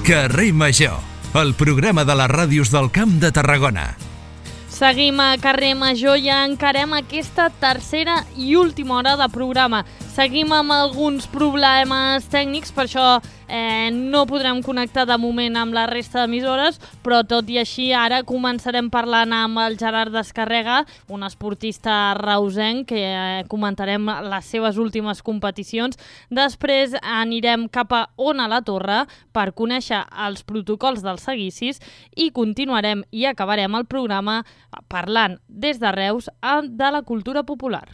Carrer Major, el programa de les ràdios del Camp de Tarragona. Seguim a Carrer Major i encarem aquesta tercera i última hora de programa. Seguim amb alguns problemes tècnics, per això no podrem connectar de moment amb la resta d'emissores, però tot i així ara començarem parlant amb el Gerard Descarrega, un esportista reusenc que comentarem les seves últimes competicions. Després anirem cap a Ona la Torre per conèixer els protocols dels seguicis i continuarem i acabarem el programa parlant des de Reus de la cultura popular.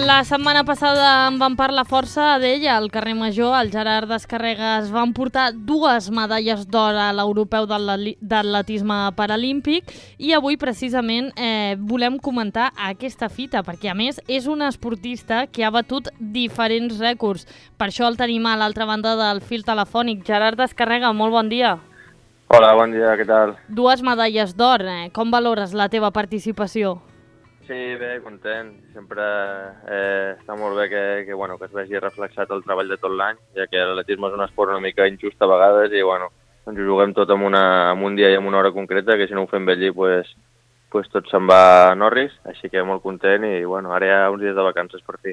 La setmana passada en vam parlar força d'ella, al carrer Major. El Gerard Descarrega es van portar 2 medalles d'or a l'Europeu d'atletisme paralímpic i avui precisament volem comentar aquesta fita, perquè a més és un esportista que ha batut diferents rècords. Per això el tenim a l'altra banda del fil telefònic. Gerard Descarrega, molt bon dia. Hola, bon dia, què tal? 2 medalles d'or, com valores la teva participació? Sí, bé, content. Sempre està molt bé que es vegi reflexat el treball de tot l'any, ja que l'atletisme és un esport una mica injust a vegades i ens ho juguem tot en un dia i en una hora concreta, que si no ho fem bé allí, tot se'n va a Norris, així que molt content i ara hi ha uns dies de vacances per fi.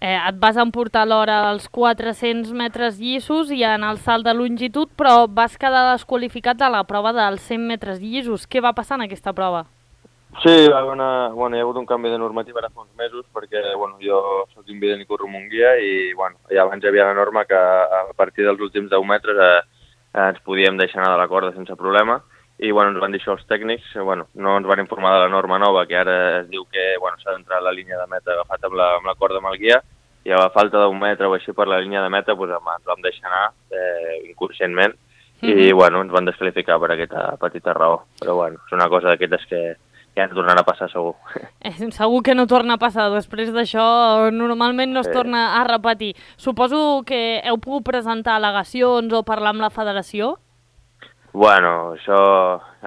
Et vas emportar l'hora als 400 metres llissos i en el salt de longitud, però vas quedar desqualificat a la prova dels 100 metres llissos. Què va passar en aquesta prova? Sí, hi ha hagut un canvi de normativa ara fa uns mesos perquè jo soc invident i corro amb un guia i ja abans hi havia la norma que a partir dels últims 10 metres ens podíem deixar anar de la corda sense problema i ens van dir això els tècnics, no ens van informar de la norma nova que ara es diu que s'ha d'entrar a la línia de meta agafat amb la corda amb el guia i a la falta d'un metre o així per la línia de meta ens vam deixar anar inconscientment i ens van desqualificar per aquesta petita raó, però és una cosa d'aquestes que ja no tornarà a passar segur. Segur que no torna a passar. Després d'això normalment no es torna a repetir. Suposo que heu pogut presentar al·legacions o parlar amb la federació? Això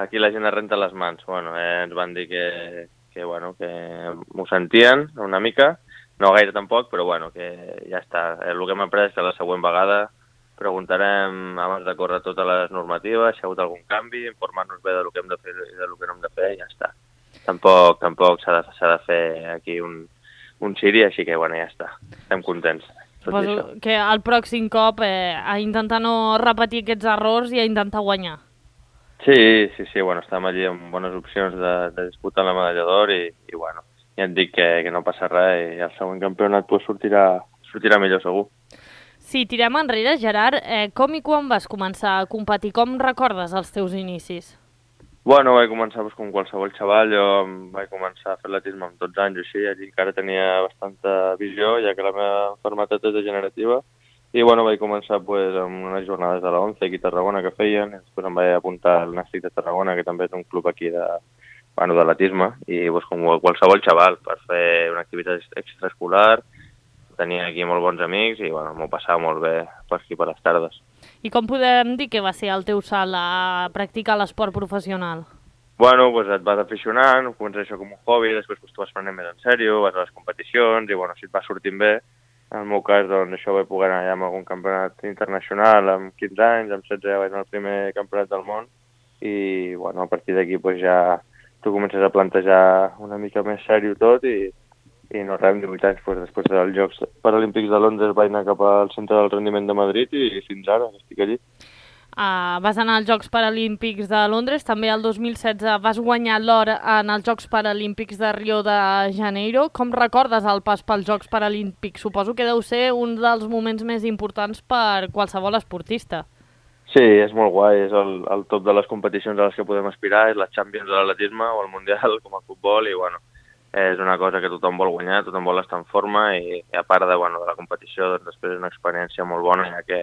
aquí la gent es renta les mans. Ens van dir que m'ho sentien una mica, no gaire tampoc, però que ja està. El que hem après és que la següent vegada preguntarem abans de córrer totes les normatives, si hi ha hagut algun canvi, informar-nos bé del que hem de fer i del que no hem de fer i ja està. Tampoc s'ha de fer aquí un ciri, així que ja està. Estem contents. Suposo que el pròxim cop a intentar no repetir aquests errors i a intentar guanyar. Sí, estem allí amb bones opcions de disputar la medalla d'or i ja et dic que no passa res i el següent campionat sortirà millor segur. Si tirem enrere, Gerard, com i quan vas començar a competir? Com recordes els teus inicis? Vaig començar com qualsevol xaval, jo vaig començar a fer atletisme amb 12 anys o així, allí encara tenia bastanta visió, ja que la meva malaltia és degenerativa, i vaig començar amb unes jornades de la 11 aquí a Tarragona que feien, i després em vaig apuntar al Nàstic de Tarragona, que també és un club aquí d'atletisme, i com qualsevol xaval, per fer una activitat extraescolar, tenia aquí molt bons amics i m'ho passava molt bé per aquí per les tardes. I com podem dir que va ser el teu salt a practicar l'esport professional? Et vas aficionant, comences això com un hobby, després t'ho vas prenent més en sèrio, vas a les competicions i si et va sortint bé, en el meu cas això vaig poder anar ja amb algun campionat internacional amb 15 anys, amb 16 ja vaig anar al primer campionat del món i a partir d'aquí ja tu comences a plantejar una mica més sèrio tot i no res, amb 18 anys, després dels Jocs Paralímpics de Londres vaig anar cap al Centre del Rendiment de Madrid i fins ara estic allí. Vas anar als Jocs Paralímpics de Londres, també el 2016 vas guanyar l'or en els Jocs Paralímpics de Rio de Janeiro. Com recordes el pas pels Jocs Paralímpics? Suposo que deu ser un dels moments més importants per qualsevol esportista. Sí, és molt guai, és el top de les competicions a les que podem aspirar, és la Champions de l'atletisme o el Mundial com a futbol i és una cosa que tothom vol guanyar, tothom vol estar en forma i a part de la competició després és una experiència molt bona ja que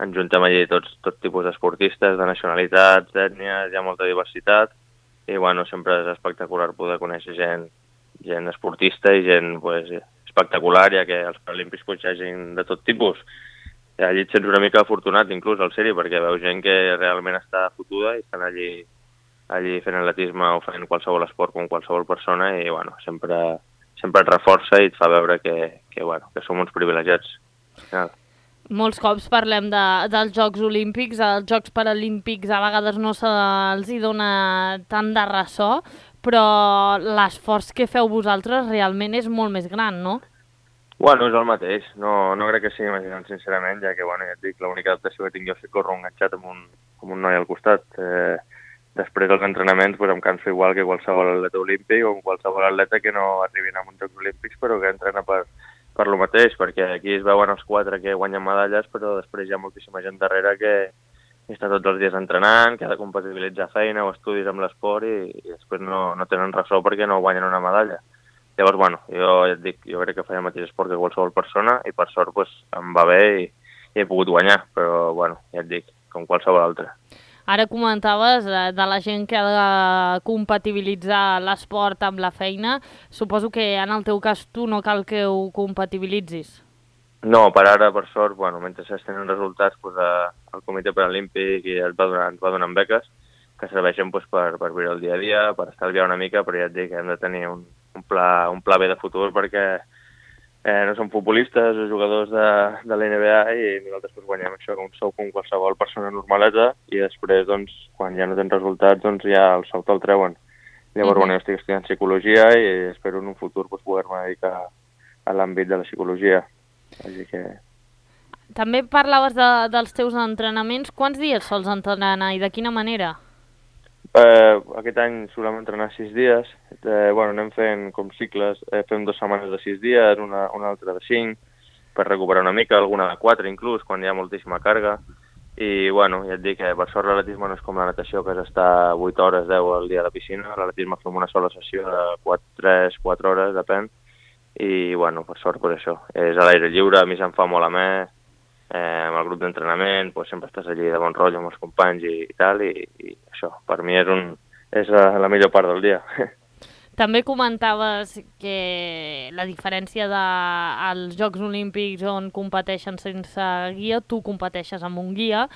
ens juntem allí tot tipus d'esportistes, de nacionalitats, d'ètnies, hi ha molta diversitat i sempre és espectacular poder conèixer gent esportista i gent espectacular ja que als Paralímpics hi ha gent de tot tipus. Allí et sents una mica afortunat inclús al sèrie perquè veus gent que realment està fotuda i estan allí allí fent atletisme o fent qualsevol esport com qualsevol persona i bueno, sempre et reforça i et fa veure que som uns privilegiats. Molts cops parlem dels Jocs Olímpics, als Jocs Paralímpics a vegades no se'ls dona tant de ressò, però l'esforç que feu vosaltres realment és molt més gran, no? Bueno, és el mateix, no crec que sigui més gran, sincerament, ja que, ja et dic, l'única adaptació que tinc jo és que corro enganxat amb un noi al costat. Després dels entrenaments em canso igual que qualsevol atleta olímpic o qualsevol atleta que no arribin a uns Jocs Olímpics, però que entrena per lo mateix, perquè aquí es veuen els 4 que guanyen medalles, però després hi ha moltíssima gent darrere que està tots els dies entrenant, que ha de compatibilitzar feina o estudis amb l'esport i després no tenen ressò perquè no guanyen una medalla. Llavors, jo ja et dic, jo crec que faig el mateix esport que qualsevol persona i per sort em va bé i he pogut guanyar, però ja et dic, com qualsevol altre. Ara comentaves de la gent que ha de compatibilitzar l'esport amb la feina. Suposo que en el teu cas tu no cal que ho compatibilitzis. No, per ara, per sort, mentre es tenen resultats, el Comitè Paralímpic ens va donant beques que serveixen per viure el dia a dia, per estalviar una mica, però ja et dic que hem de tenir un pla B de futur perquè no som futbolistes o jugadors de la NBA i nosaltres guanyem això com sou com qualsevol persona normaleta i després, quan ja no tens resultats, ja el sou te'l treuen. Llavors, jo estic estudiant psicologia i espero en un futur poder-me dedicar a l'àmbit de la psicologia. Així que... També parlaves dels teus entrenaments. Quants dies sols entrenar i de quina manera? Aquest any solem entrenar 6 dies. Anem fent com cicles. Fem 2 setmanes de 6 dies, una altra de 5, per recuperar una mica, alguna de 4 inclús, quan hi ha moltíssima càrrega. I, ja et dic que per sort l'atletisme no és com la natació, que has d'estar 8 hores, 10 al dia a la piscina. L'atletisme fem una sola sessió de 3-4 hores, depèn. I, per sort, això. És a l'aire lliure, a mi se'm fa molt amè, amb el grup d'entrenament, sempre estàs allí de bon rotllo amb els companys i tal, i això, per mi és la millor part del dia. També comentaves que la diferència dels Jocs Olímpics on competeixen sense guia, tu competeixes amb un guia.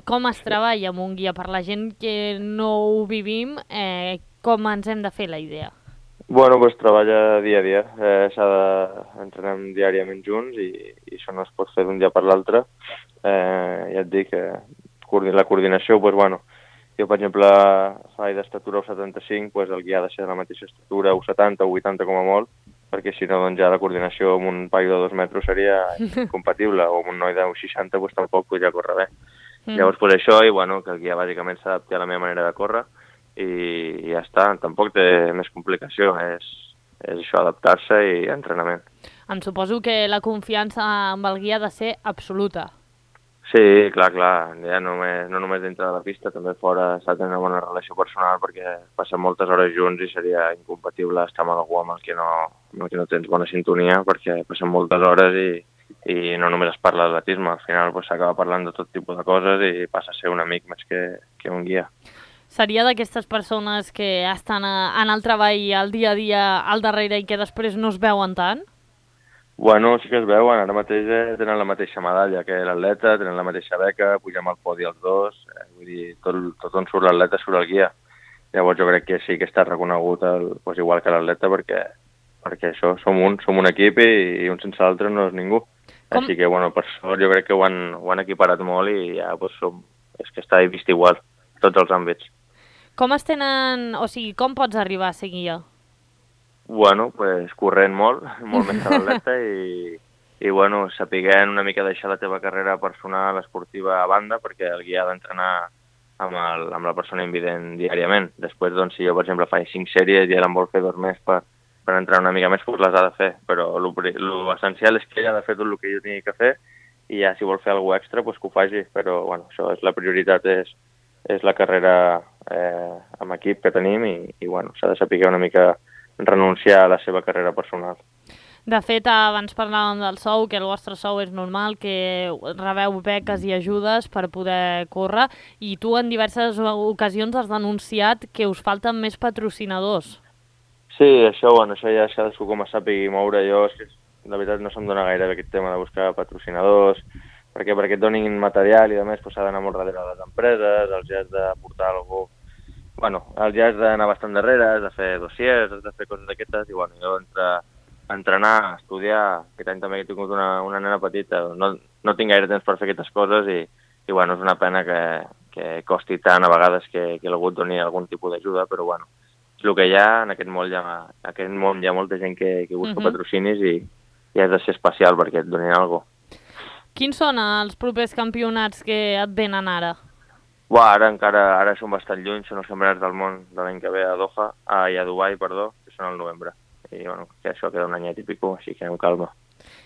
Com es treballa amb un guia? Per la gent que no ho vivim, com ens hem de fer la idea? Treballa dia a dia. Entrenem diàriament junts i això no es pot fer d'un dia per l'altre. Ja et dic que la coordinació, jo, per exemple, faig d'estatura o 75, el guià ha de ser de la mateixa estatura, o 70 o 80 com a molt, perquè si no, ja la coordinació amb un paio de 2 metres seria incompatible, o amb un noi de 60, tampoc podria córrer bé. Llavors, això, i que el guià bàsicament s'adapti a la meva manera de córrer, i ja està, tampoc té més complicació, és això, adaptar-se i entrenament. Em suposo que la confiança amb el guia ha de ser absoluta. Sí, clar, ja no només dintre de la pista, també fora s'ha de tenir una bona relació personal perquè passem moltes hores junts i seria incompatible estar amb algú amb el que no tens bona sintonia perquè passem moltes hores i no només es parla d'atletisme, al final s'acaba parlant de tot tipus de coses i passa a ser un amic més que un guia. Seria d'aquestes persones que estan en el treball el dia a dia al darrere i que després no es veuen tant? Sí que es veuen. Ara mateix tenen la mateixa medalla que l'atleta, tenen la mateixa beca, pugem al podi els dos, vull dir, tot on surt l'atleta surt el guia. Llavors jo crec que sí que està reconegut igual que l'atleta perquè això, som un equip i un sense l'altre no és ningú. Així que, per sort, jo crec que ho han equiparat molt i ja és que està vist igual, a tots els àmbits. Com com pots arribar a ser guia? Corrent molt més que l'atleta i sapiguent una mica deixar la teva carrera personal, esportiva a banda, perquè el guia ha d'entrenar amb la persona invident diàriament. Després, si jo, per exemple, faig 5 sèries i ell em vol fer 2 més per entrenar una mica més, les ha de fer. Però l'essencial és que ell ha de fer tot el que jo tingui que fer i ja si vol fer alguna extra, que ho faci. Però, això és la prioritat, és la carrera amb equip que tenim i s'ha de saber una mica renunciar a la seva carrera personal. De fet, abans parlàvem del sou, que el vostre sou és normal, que rebeu beques i ajudes per poder córrer, i tu en diverses ocasions has denunciat que us falten més patrocinadors. Sí, això ja cadascú com es sàpigui moure. Jo, la veritat, no se'm dona gaire bé aquest tema de buscar patrocinadors, perquè et donin material i a més s'ha d'anar molt darrere de les empreses, els has de portar alguna el ja has d'anar bastant darrere, has de fer dossiers, has de fer coses d'aquestes, i jo entre entrenar, estudiar, aquest any també he tingut una nena petita, no tinc gaire temps per fer aquestes coses i és una pena que costi tant a vegades que algú et doni algun tipus d'ajuda, però és el que hi ha, en aquest món hi ha molta gent que busca patrocinis i has de ser especial perquè et donin alguna cosa. Quins són els propers campionats que et venen ara? Ara són bastant lluny, són els campionats del món de l'any que ve a Doha, a Dubai, que són al novembre. I que això queda un anyet i pico, així que amb calma.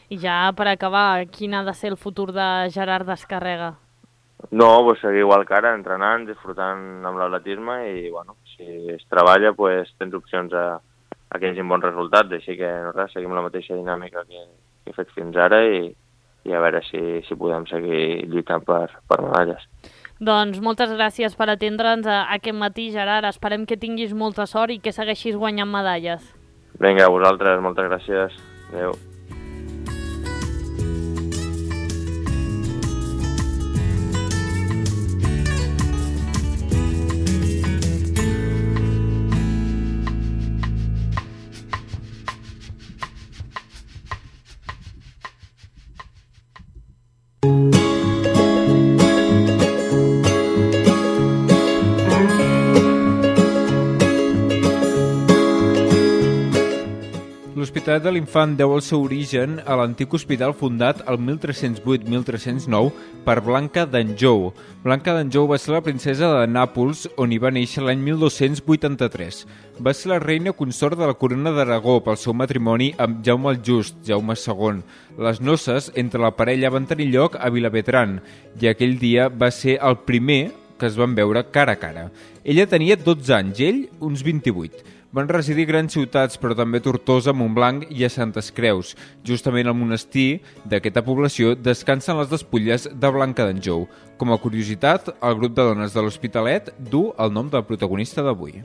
I ja per acabar, quin ha de ser el futur de Gerard Descarrega? No, seguir igual que ara, entrenant, disfrutant amb l'atletisme i si es treballa tens opcions a que hi hagi bons resultats, així que seguim la mateixa dinàmica que he fet fins ara i a veure si podem seguir lluitant per medalles. Doncs moltes gràcies per atendre'ns aquest matí, Gerard. Esperem que tinguis molta sort i que segueixis guanyant medalles. Vinga, a vosaltres, moltes gràcies. Adéu. L'Hospital de l'Infant deu el seu origen a l'antic hospital fundat el 1308-1309 per Blanca d'Anjou. Blanca d'Anjou va ser la princesa de Nàpols, on hi va néixer l'any 1283. Va ser la reina consort de la corona d'Aragó pel seu matrimoni amb Jaume el Just, Jaume II. Les noces entre la parella van tenir lloc a Vilabertran i aquell dia va ser el primer que es van veure cara a cara. Ella tenia 12 anys, ell uns 28. Van residir a grans ciutats, però també a Tortosa, Montblanc i a Santes Creus. Justament al monestir d'aquesta població descansen les despulles de Blanca d'Anjou. Com a curiositat, el grup de dones de l'Hospitalet du el nom del protagonista d'avui.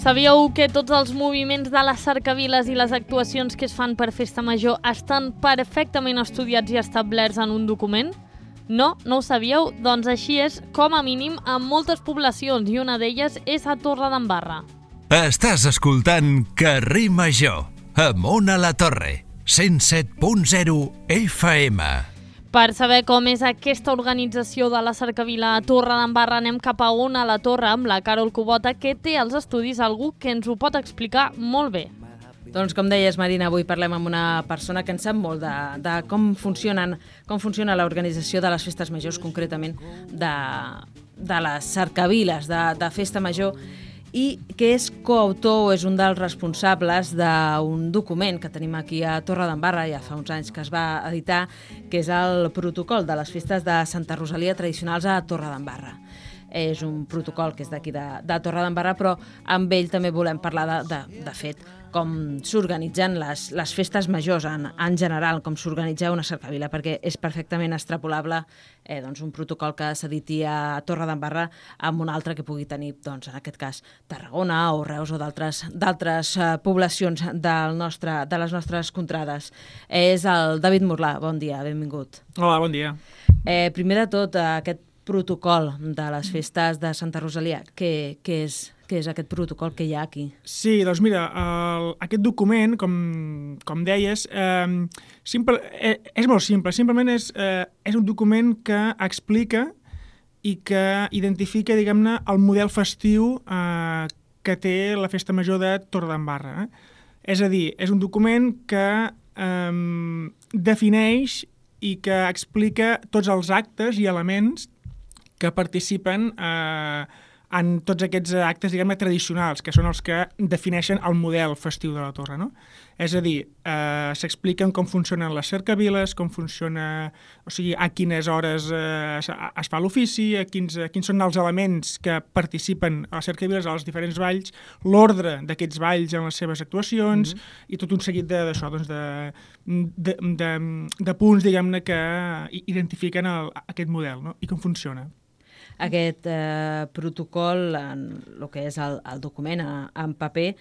Sabíeu que tots els moviments de les cercaviles i les actuacions que es fan per Festa Major estan perfectament estudiats i establerts en un document? No? No ho sabíeu? Doncs així és, com a mínim, en moltes poblacions, i una d'elles és a Torredembarra. Estàs escoltant Carrer Major, amunt a la torre, 107.0 FM. Per saber com és aquesta organització de la cercavila a Torredembarra, anem cap a on a la Torre amb la Carol Cubota, que té als estudis algú que ens ho pot explicar molt bé. Doncs com deies, Marina, avui parlem amb una persona que en sap molt de com funciona l'organització de les festes majors, concretament de les cercaviles de Festa Major, i que és coautor, és un dels responsables d'un document que tenim aquí a Torredembarra, ja fa uns anys que es va editar, que és el protocol de les festes de Santa Rosalia tradicionals a Torredembarra. És un protocol que és d'aquí de Torredembarra, però amb ell també volem parlar de fet, com s'organitzen les festes majors en general, com s'organitza una cercavila, perquè és perfectament extrapolable un protocol que s'editi a Torredembarra amb un altre que pugui tenir, en aquest cas, Tarragona o Reus o d'altres poblacions de les nostres contrades. És el David Morlà. Bon dia, benvingut. Hola, bon dia. Primer de tot, aquest protocol de les festes de Santa Rosalia, què és aquest protocol que hi ha aquí? Sí, doncs mira, aquest document, com deies, és molt simple. Simplement és un document que explica i que identifica, diguem-ne, el model festiu que té la Festa Major de Torredembarra. És a dir, és un document que defineix i que explica tots els actes i elements que participen en tots aquests actes, diguem-ne, tradicionals, que són els que defineixen el model festiu de la torre, no? És a dir, s'expliquen com funcionen les cercaviles, com funciona, o sigui, a quines hores es fa l'ofici, quins són els elements que participen a les cercaviles, a les diferents balls, l'ordre d'aquests balls en les seves actuacions, i tot un seguit d'això, doncs, de punts, diguem-ne, que identifiquen aquest model, no? I com funciona. Aquest protocol, en el que és el document en paper,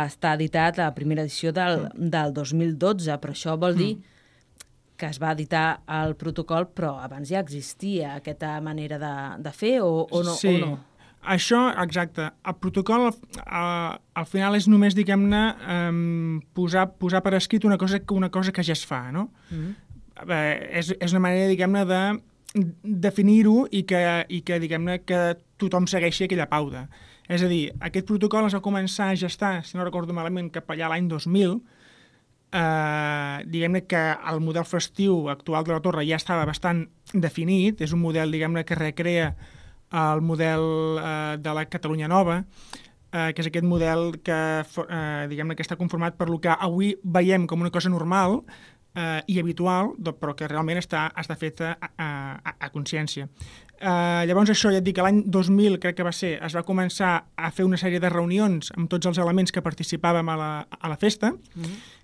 està editat a la primera edició del 2012, però això vol dir que es va editar el protocol, però abans ja existia aquesta manera de fer o no? Sí, o no? Això, exacte. El protocol, al final, és només, diguem-ne, posar per escrit una cosa que ja es fa, no? És una manera, diguem-ne, de definir-ho i que diguem-ne, que tothom segueixi aquella pauta. És a dir, aquest protocol es va començar a gestar, si no recordo malament, cap allà l'any 2000, diguem-ne que el model festiu actual de la Torre ja estava bastant definit, és un model, diguem-ne, que recrea el model de la Catalunya Nova, que és aquest model que, diguem-ne, que està conformat per lo que avui veiem com una cosa normal i habitual, però que realment està fet a consciència. Llavors això, ja et dic, l'any 2000 crec que va ser, es va començar a fer una sèrie de reunions amb tots els elements que participàvem a la festa,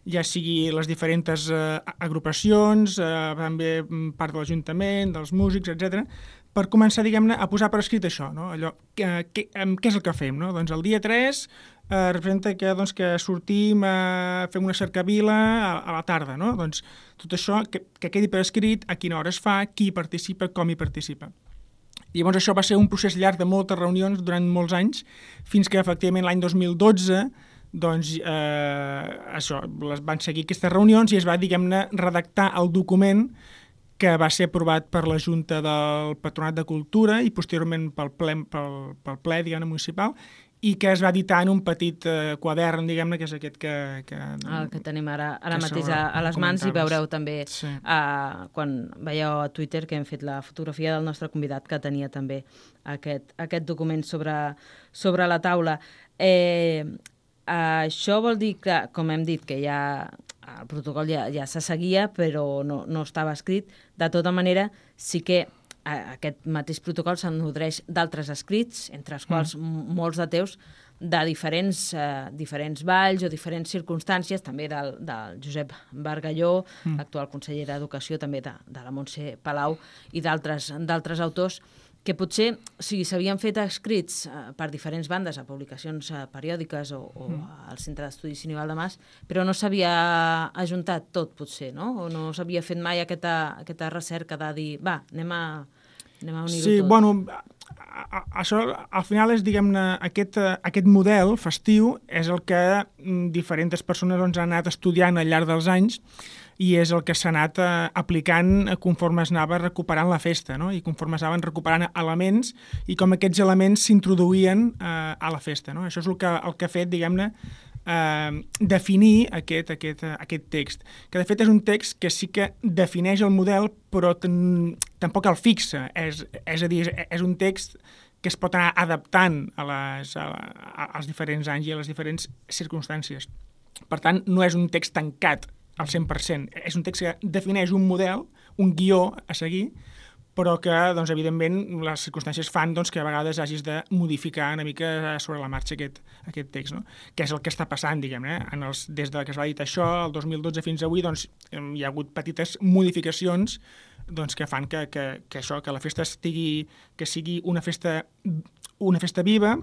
ja sigui les diferents agrupacions, també part de l'Ajuntament, dels músics, etc, per començar, diguem-ne, a posar per escrit això, no? Allò, què és el que fem, no? Doncs el dia 3 representa que sortim fem una cercavila a la tarda, no? Doncs tot això que quedi per escrit, a quina hora es fa, qui participa, com hi participa. I llavors això va ser un procés llarg de moltes reunions durant molts anys, fins que efectivament l'any 2012 doncs això, van seguir aquestes reunions i es va, diguem-ne, redactar el document que va ser aprovat per la Junta del Patronat de Cultura i posteriorment pel ple diguem-ne, municipal, i que es va editar en un petit quadern, diguem-ne, que és aquest que el que tenim ara mateix a les mans, i veureu també, quan veieu a Twitter que hem fet la fotografia del nostre convidat, que tenia també aquest document sobre la taula. Això vol dir que, com hem dit, que ja el protocol ja se seguia, però no estava escrit. De tota manera, sí que aquest mateix protocol se'n nodreix d'altres escrits, entre els quals molts de teus, de diferents valls o diferents circumstàncies, també del Josep Bargalló, actual conseller d'Educació, també de la Montse Palau, i d'altres autors, que potser s'havien fet escrits per diferents bandes a publicacions periòdiques o al Centre d'Estudis Sinival de Mas, però no s'havia ajuntat tot, potser, no? O no s'havia fet mai aquesta recerca de dir, va, anem a unir-ho tot. Sí, bueno, això al final és, diguem-ne, aquest model festiu és el que diferents persones han anat estudiant al llarg dels anys i és el que s'ha anat aplicant conforme es anava recuperant la festa, no? I conforme es anaven recuperant elements i com aquests elements s'introduïen a la festa, no? Això és el que ha fet, diguem-ne, definir aquest text, que de fet és un text que sí que defineix el model però tampoc el fixa, és a dir, és un text que es pot anar adaptant als diferents anys i a les diferents circumstàncies. Per tant, no és un text tancat al 100%, és un text que defineix un model, un guió a seguir, però que, doncs, evidentment, les circumstàncies fan que a vegades hagis de modificar una mica sobre la marxa aquest text, no? Que és el que està passant, diguem-ne, des de que es va editar això, el 2012 fins avui, doncs, hi ha hagut petites modificacions que fan que la festa sigui una festa viva,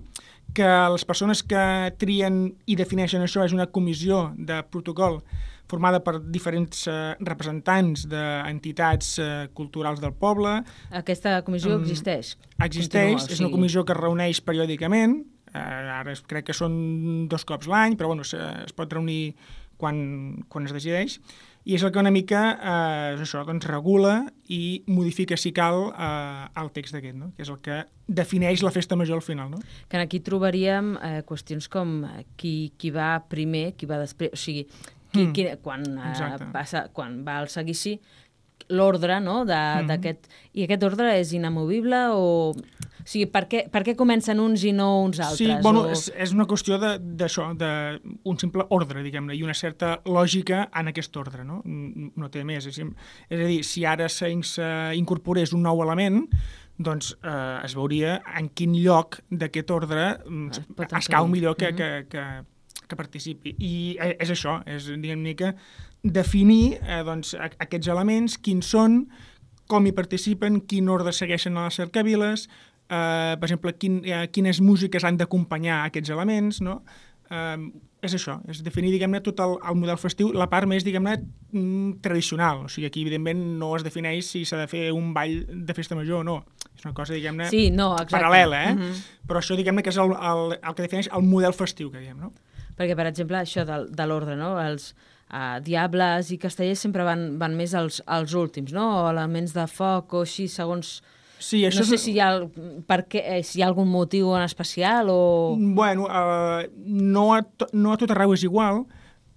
que les persones que trien i defineixen això és una comissió de protocol formada per diferents representants d'entitats culturals del poble. Aquesta comissió existeix? Existeix, és una comissió que es reuneix periòdicament, ara crec que són 2 cops l'any, però bueno, es pot reunir quan es decideix, i és el que una mica regula i modifica, si cal, el text d'aquest, no? Que és el que defineix la festa major al final. No? Que aquí trobaríem qüestions com qui va primer, qui va després, o sigui, quan va al seguici, l'ordre, no, d'aquest... I aquest ordre és inamovible o... O sigui, per què comencen uns i no uns altres? Sí, bueno, és una qüestió d'això, d'un simple ordre, diguem-ne, i una certa lògica en aquest ordre, no? No té més. És a dir, si ara s'incorporés un nou element, doncs es veuria en quin lloc d'aquest ordre es cau millor que participi. I és això, és, diguem-ne, que definir aquests elements, quins són, com hi participen, quin ordre segueixen a les cercaviles, per exemple, quines músiques han d'acompanyar aquests elements, no? És això, és definir, diguem-ne, tot el model festiu, la part més, diguem-ne, tradicional. O sigui, aquí, evidentment, no es defineix si s'ha de fer un ball de festa major o no. És una cosa, diguem-ne, sí, no, paral·lela, Però això, diguem-ne, que és el que defineix el model festiu, que diem, no? Perquè, per exemple, això de l'ordre, no? Els diables i castellers sempre van més als últims, no? O elements de foc o així, segons... Sí, això no sé si hi ha algun motiu en especial o... Bueno, no a tot arreu és igual.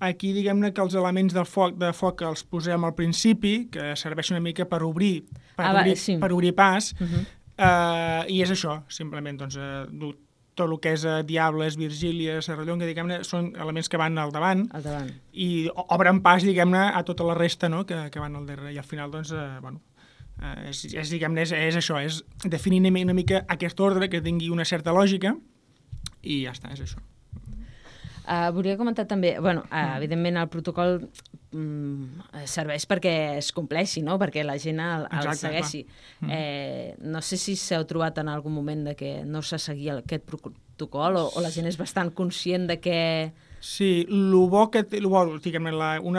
Aquí, diguem-ne que els elements de foc els posem al principi, que serveixen una mica per obrir pas, i és això, simplement, doncs, tot el que és Diables, Virgília, Serrallonga, diguem-ne, són elements que van al davant. I obren pas, diguem-ne, a tota la resta, no?, que van al darrere. I al final, doncs, bueno, diguem-ne, és això, és definir una mica aquest ordre que tingui una certa lògica i ja està, és això. Volia comentar també, bueno, evidentment el protocol serveix perquè es compleixi, no?, perquè la gent el segueixi. No sé si s'heu trobat en algun moment de que no se seguia aquest protocol o la gent és bastant conscient de que... Sí, una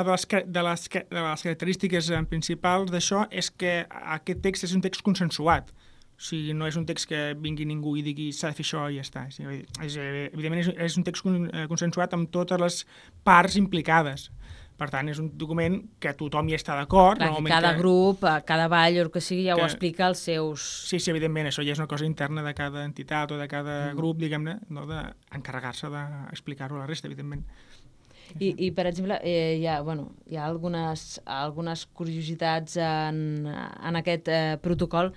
de les característiques principals d'això és que aquest text és un text consensuat. O sigui, no és un text que vingui ningú i digui s'ha de fer això i ja està. Evidentment és un text consensuat amb totes les parts implicades. Per tant, és un document que tothom hi està d'acord. Cada grup, cada ball o el que sigui, ja ho explica als seus... Sí, evidentment, això ja és una cosa interna de cada entitat o de cada grup, diguem-ne, no, d'encarregar-se d'explicar-ho a la resta, evidentment. I per exemple, hi ha algunes curiositats en aquest protocol,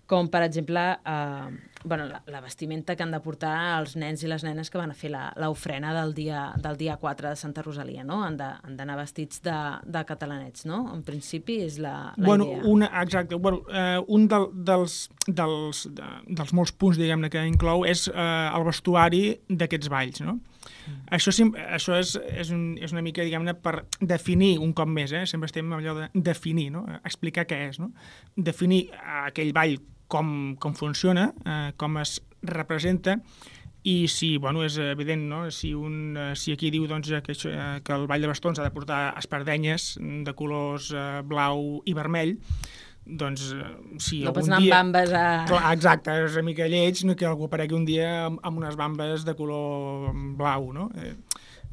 com per exemple la vestimenta que han de portar els nens i les nenes que van a fer l'ofrena del dia 4 de Santa Rosalia, no? Han d'anar vestits de catalanets, no? En principi és la idea. Exacte. Un dels molts punts, diguem-ne, que inclou és el vestuari d'aquests balls, no? Això és una mica, diguem-ne, per definir un cop més, sempre estem amb allò de definir, no? Explicar què és, no? Definir aquell ball com funciona, com es representa, i si, és evident, no? Si aquí diu doncs, que el ball de bastons ha de portar espardenyes de colors blau i vermell, doncs si no algun pots anar amb bambes a... Clar, exacte, és una mica lleig que algú aparegui un dia amb unes bambes de color blau, no?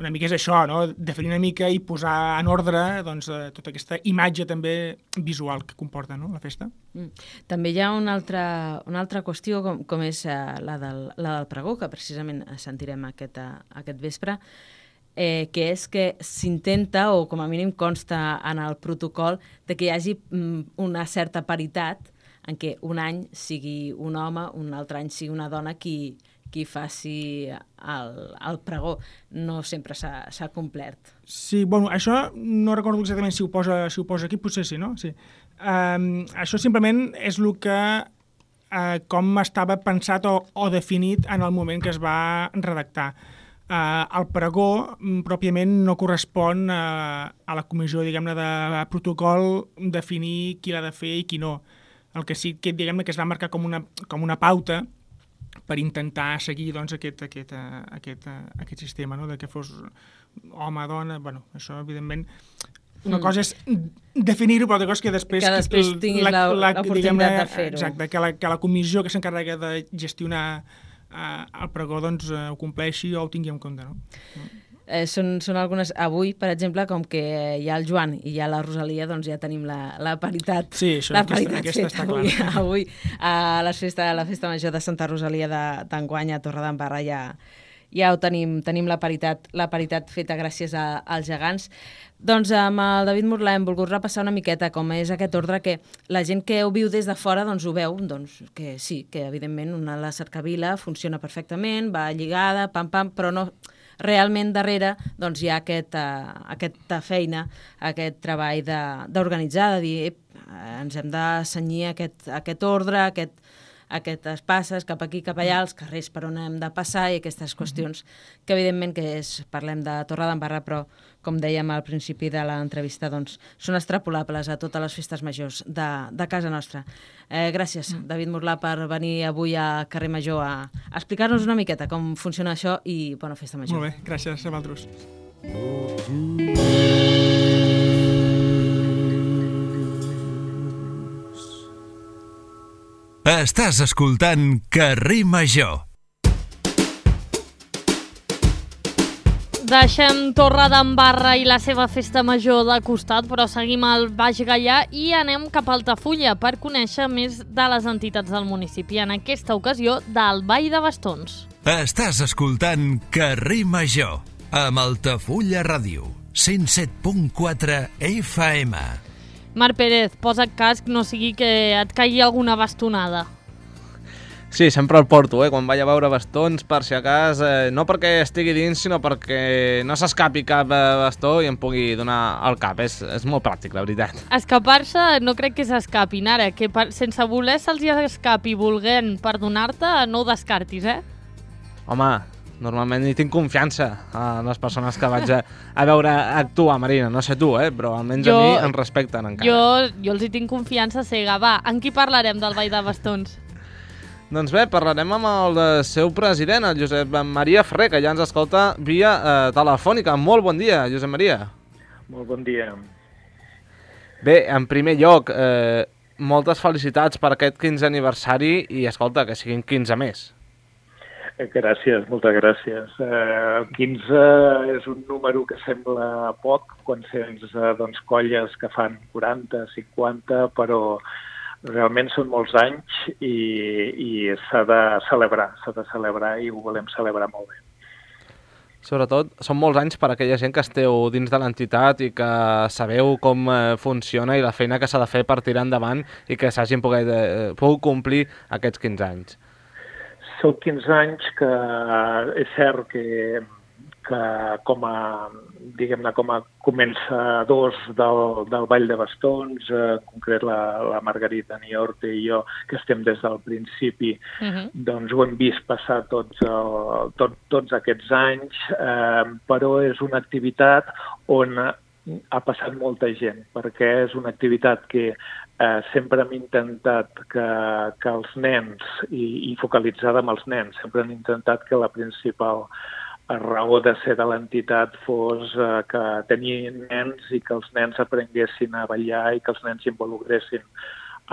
Una mica és això, no? Definir una mica i posar en ordre doncs, tota aquesta imatge també visual que comporta, no?, la festa. També hi ha una altra qüestió, com és la del pregó, que precisament sentirem aquest vespre, que és que s'intenta, o com a mínim consta en el protocol, de que hi hagi una certa paritat en què un any sigui un home, un altre any sigui una dona qui faci el pregó. No sempre s'ha complert. Sí, això no recordo exactament si ho posa aquí, potser sí, no? Sí. Això simplement és el que com estava pensat o definit en el moment que es va redactar. El pregó pròpiament no correspon a la comissió, diguem-ne, de protocol definir qui l'ha de fer i qui no. El que sí que, diguem-ne, que es va marcar com una pauta per intentar seguir doncs, aquest sistema, no?, de que fos home, dona... Això, evidentment, una cosa és definir-ho, però altra cosa és que després tinguis l'oportunitat de fer-ho. Exacte, que la comissió que s'encarrega de gestionar el pregó doncs, ho compleixi o ho tingui en compte, no? Són algunes... Avui, per exemple, com que hi ha el Joan i hi ha la Rosalia, doncs ja tenim la paritat. Sí, això, aquesta està clara. Avui, a la festa major de Santa Rosalia d'enguany a Torredembarra ja ho tenim la paritat feta gràcies als gegants. Doncs amb el David Murlà hem volgut repassar una miqueta com és aquest ordre, que la gent que ho viu des de fora doncs ho veu, doncs, que sí, que evidentment la cercavila funciona perfectament, va lligada, pam, però no... Realment darrere doncs, hi ha aquesta feina, aquest treball d'organitzar, de dir ens hem de cenyir aquest ordre, aquestes passes cap aquí, cap allà, els carrers per on hem de passar i aquestes qüestions que evidentment parlem de Torredembarra, però com dèiem al principi de l'entrevista, doncs, són extrapolables a totes les festes majors de casa nostra. Gràcies, David Murlà, per venir avui a Carrer Major a explicar-nos una miqueta com funciona això i bona festa major. Molt bé, gràcies a vosaltres. Estàs escoltant Carrer Major. Deixem Torredembarra i la seva festa major de costat, però seguim al Baix Gaià i anem cap a Altafulla per conèixer més de les entitats del municipi, en aquesta ocasió del Ball de Bastons. Estàs escoltant Carrer Major amb Altafulla Ràdio, 107.4 FM. Marc Pérez, posa't casc, no sigui que et caigui alguna bastonada. Sí, sempre el porto, quan vaig a veure bastons, per si acas, no perquè estigui dins, sinó perquè no s'escapi cap bastó i em pugui donar al cap. És molt pràctic, la veritat. Escapar-se no crec que s'escapin ara, que sense voler se'ls escapi volent perdonar-te, no ho descartis, Home, normalment hi tinc confiança a les persones que vaig a veure actuar, Marina. No sé tu, però almenys a mi em respecten encara. Jo els hi tinc confiança cega. Va, en qui parlarem del Ball de Bastons? Doncs bé, parlarem amb el seu president, el Josep Maria Ferrer, que ja ens escolta via telefònica. Molt bon dia, Josep Maria. Molt bon dia. Bé, en primer lloc, moltes felicitats per aquest 15è aniversari i, escolta, que siguin 15 més. Gràcies, moltes gràcies. 15 és un número que sembla poc quan sents colles que fan 40, 50, però realment són molts anys i s'ha de celebrar i ho volem celebrar molt bé. Sobretot, són molts anys per a aquella gent que esteu dins de l'entitat i que sabeu com funciona i la feina que s'ha de fer per tirar endavant i que s'hagin pogut complir aquests 15 anys. Són 15 anys que és cert que com a començadors del Ball de Bastons, en concret la Margarita Niorte i jo, que estem des del principi, doncs ho hem vist passar tots aquests anys, però és una activitat on ha passat molta gent, perquè és una activitat que sempre hem intentat que els nens, i focalitzada amb els nens, sempre hem intentat que la principal raó de ser de l'entitat fos que tenien nens i que els nens aprenguessin a ballar i que els nens s'involucressin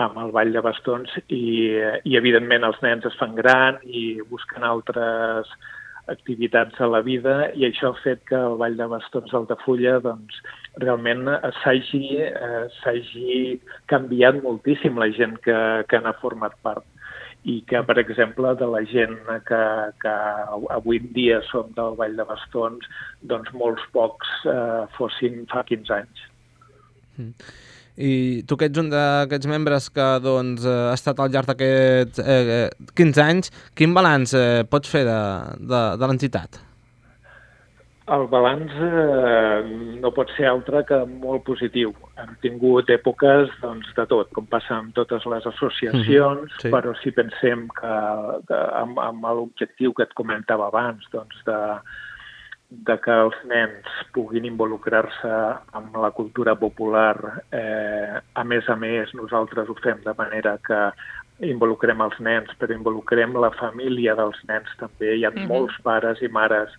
amb el Ball de Bastons i evidentment els nens es fan gran i busquen altres activitats a la vida i això ha fet que el Ball de Bastons d'Altafulla doncs, realment s'hagi canviat moltíssim la gent que n'ha format part i que, per exemple, de la gent que avui en dia som del Ball de Bastons, doncs molts pocs fossin fa 15 anys. I tu que ets un d'aquests membres que doncs, ha estat al llarg d'aquests 15 anys, quin balanç pots fer de l'entitat? El balanç no pot ser altre que molt positiu. Hem tingut èpoques de tot, com passa amb totes les associacions, sí. Però si pensem que amb l'objectiu que et comentava abans, doncs de que els nens puguin involucrar-se amb la cultura popular, a més, nosaltres ho fem de manera que involucrem els nens, però involucrem la família dels nens també. Hi ha molts pares i mares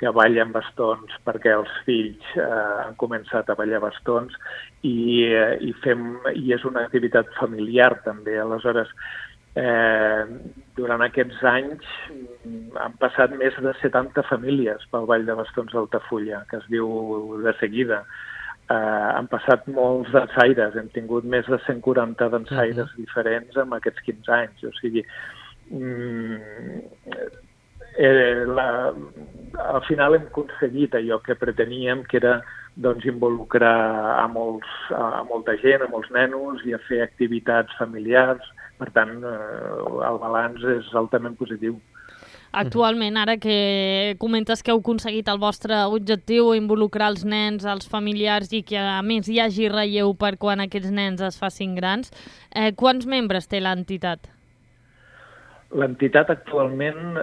que ballen bastons perquè els fills han començat a ballar bastons i és una activitat familiar també. Aleshores, durant aquests anys han passat més de 70 famílies pel Ball de Bastons d'Altafulla, que es diu de seguida. Han passat molts dansaires, hem tingut més de 140 dansaires diferents en aquests 15 anys. O sigui, al final hem aconseguit allò que preteníem, que era involucrar a molta gent, a molts nenos i a fer activitats familiars. Per tant, el balanç és altament positiu. Actualment, ara que comentes que heu aconseguit el vostre objectiu, involucrar els nens, els familiars i que a més hi hagi relleu per quan aquests nens es facin grans, quants membres té l'entitat? L'entitat actualment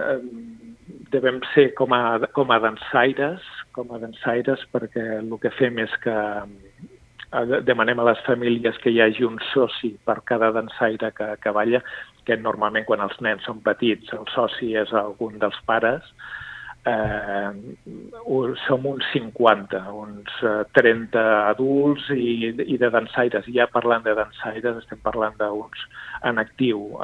devem ser com a dansaires, perquè el que fem és que demanem a les famílies que hi hagi un soci per cada dansaire que balla, que normalment quan els nens són petits el soci és algun dels pares. Som uns 50, uns 30 adults i de dansaires. Ja parlant de dansaires estem parlant d'uns en actiu